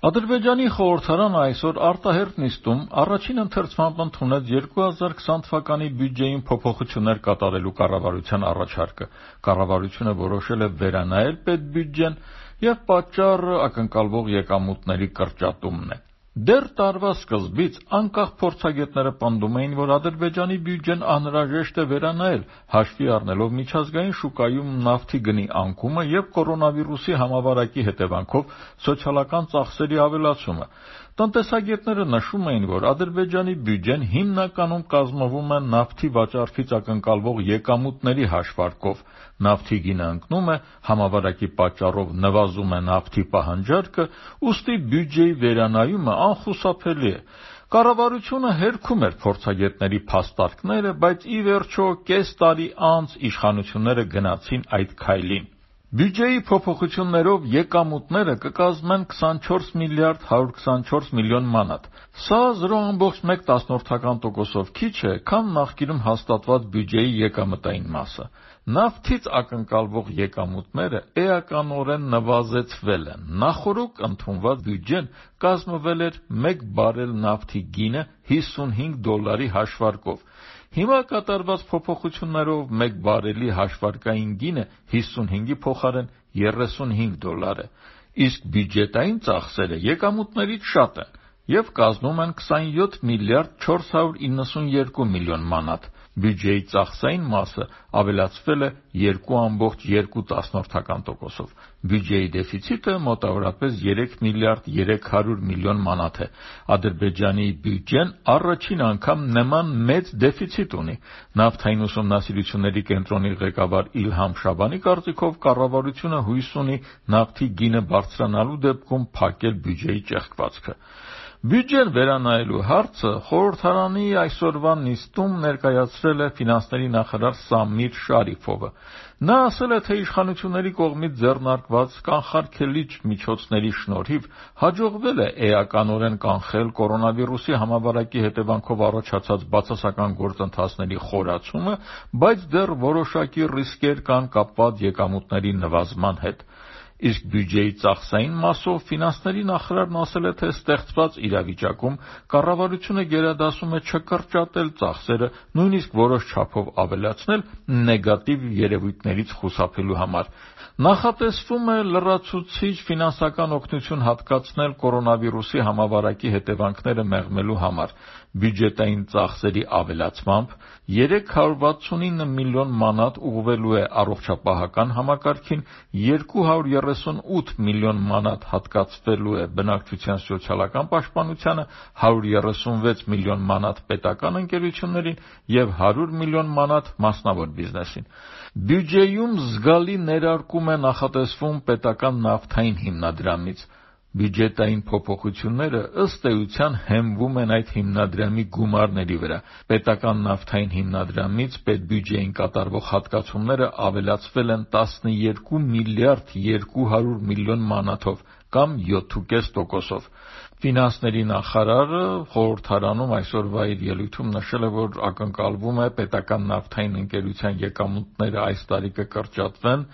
Ադրբեջանի խորհրդարանը այսօր արտահերթ նիստում առաջին ընթերցմամբ ընդունեց 2020 թվականի բյուջեին փոփոխություններ կատարելու կառավարության առաջարկը։ Կառավարությունը որոշել է վերանայել պետբյուջեն եւ պատճառը ակնկալվող եկամուտների կրճատումն է։ Դեռ տարվա սկզբից անկախ փորձագետները պնդում էին, որ Ադրբեջանի բյուջեն անհրաժեշտ է վերանայել, հաշվի առնելով միջազգային շուկայում նավթի գնի անկումը եւ կորոնավիրուսի համավարակի հետևանքով սոցիալական ծախսերի ավելացումը։ Տնտեսագետները նշում էին, որ Ադրբեջանի բյուջեն հիմնականում կազմվում է նավթի վաճառքից ակնկալվող եկամուտների հաշվարկով։ Նավթի գինը ընկնում է, համավարակի պատճառով նվազում է նավթի պահանջարկը, ուստի բյուջեի վերանայումը անխուսափելի է։ Կառավարությունը հերքում էր փորձագետների փաստարկները, բայց ի վերջո կես տարի անց իշխանությունները գնացին այդ քայլին։ Բյուջեի փոփոխություններով եկամուտները կկազմեն 24 միլիարդ 124 միլիոն մանատ։ Սա 0.1%-ով քիչ է, քան նախկինում հաստատված բյուջեի եկամտային մասը։ Նավթից ակնկալվող եկամուտները էականորեն նվազեցվել են։ Նախորդ ընդունված բյուջեն կազմվել էր 1 բարել նավթի գինը $55 հաշվարկով։ Հիմա կատարված փոփոխություններով 1 բարելի հաշվարկային գինը 55-ի փոխարեն $35 է, իսկ բյուջետային ծախսերը եկամուտներից շատ են եւ կազմում են 27 միլիարդ 492 միլիոն մանատ։ Բյուջեի ծախսային մասը ավելացվել է 2.2%-ով։ Բյուջեի դեֆիցիտը մոտավորապես 3 միլիարդ 300 միլիոն մանատ է։ Ադրբեջանի բյուջեն առաջին անգամ նման մեծ դեֆիցիտ ունի։ Նավթային ուսումնասիրությունների կենտրոնի ղեկավար Իլհամ Շաբանի կարծիքով կառավարությունը հույս ունի նավթի գինը բարձրանալու դեպքում փակել բյուջեի ճեղքվածքը։ Բյուջեն վերանայելու հարցը խորհրդարանի այսօրվա նիստում ներկայացրել է ֆինանսների նախարար Սամիր Շարիֆովը։ Նա ասել է, թե իշխանությունների կողմից ձեռնարկված կանխարգելիչ միջոցների շնորհիվ հաջողվել է էականորեն կանխել կորոնավիրուսի համավարակի հետևանքով առաջացած բացասական գործընթացների խորացումը, բայց դեռ որոշակի ռիսկեր կան կապված եկամուտների նվազման հետ։ Իսկ բյուջեի ծախսային մասով ֆինանսների նախարարն ասել է, թե ստեղծված իրավիճակում կառավարությունը գերադասում է չկրճատել ծախսերը, նույնիսկ որոշ չափով ավելացնել նեգատիվ երևույթներից խուսափելու համար։ Նախատեսվում է լրացուցիչ ֆինանսական օգնություն հատկացնել կորոնավիրուսի համավարակի հետևանքները մեղմելու համար։ Բյուջետային ծախսերի ավելացմամբ 369 միլիոն մանատ ուղղվելու է առողջապահական համակարգին, 238 միլիոն մանատ հատկացվելու է բնակչության սոցիալական պաշտպանությանը, 136 միլիոն մանատ պետական ընկերություններին և 100 միլիոն մանատ մասնավոր բիզնեսին։ Բյուջեում զգալի ներարկում է նախատեսվում պետական նավթային հիմնադրամից։ Բյուջետային փոփոխությունները ըստ էության հենվում են այդ հիմնադրամի գումարների վրա։ Պետական նավթային հիմնադրամից պետբյուջեին կատարվող հատկացումները ավելացվել են 12 միլիարդ 200 միլիոն մանաթով կամ 7.5%-ով։ Ֆինանսների նախարարը խորհրդարանում այսօրվա իր ելույթում նշել է, որ ակնկալվում է պետական նավթային ընկերության եկամուտները այս տարի կկրճատվեն։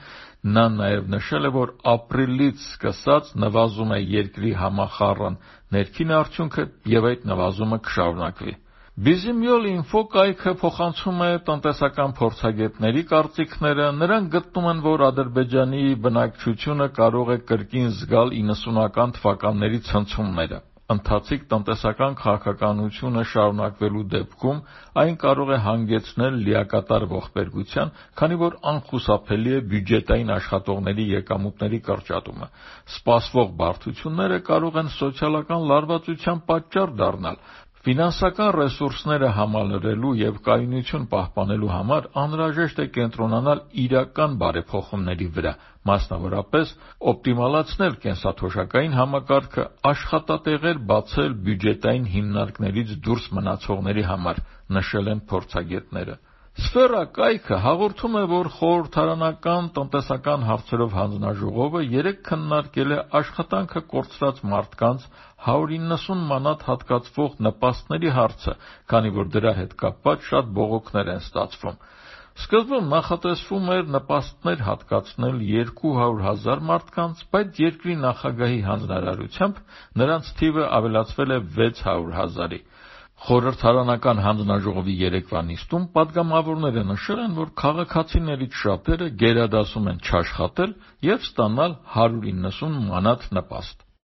Նա նաև նշել է, որ ապրիլից սկսած նվազում է երկրի համախառն ներքին արդյունքը եւ այդ նվազումը կշարունակվի։ Bizimyol.info կայքը փոխանցում է տնտեսական փորձագետների կարծիքները։ Նրանք գտնում են, որ Ադրբեջանի բնակչությունը կարող է կրկին զգալ 90-ական թվականների ցնցումները։ Ընթացիկ տնտեսական քաղաքականությունը շարունակվելու դեպքում այն կարող է հանգեցնել լիակատար ողբերգության, քանի որ անխուսափելի է բյուջետային աշխատողների եկամուտների կրճատումը։ Սպասվող բարդությունները կարող են սոցիալական լարվածության պատճառ դառնալ։ Ֆինանսական ռեսուրսները համալրելու եւ կայունություն պահպանելու համար անհրաժեշտ է կենտրոնանալ իրական բարեփոխումների վրա, մասնավորապես օպտիմալացնել կենսաթոշակային համակարգը, աշխատատեղեր բացել բյուջետային հիմնարկներից դուրս մնացողների համար, նշել են փորձագետները։ Սֆերա կայքը հաղորդում է, որ խորհրդարանական տնտեսական հարցերով հանձնաժողովը երեկ քննարկել է աշխատանքը կորցրած մարդկանց 190 մանատ հատկացվող նպաստների հարցը, քանի որ դրա հետ կապված շատ բողոքներ են ստացվում։ Սկզբում նախատեսվում էր նպաստներ հատկացնել 200,000 մարդկանց, բայց երկրի նախագահի հանձնարարությամբ նրանց թիվը ավելացվել է 600,000-ի։ Խորհրդարանական հանձնաժողովի երեկվա նիստում պատգամավորները նշել են, որ քաղաքացիներից շատերը գերադասում են չաշխատել և ստանալ 190 մանաթ նպաստ։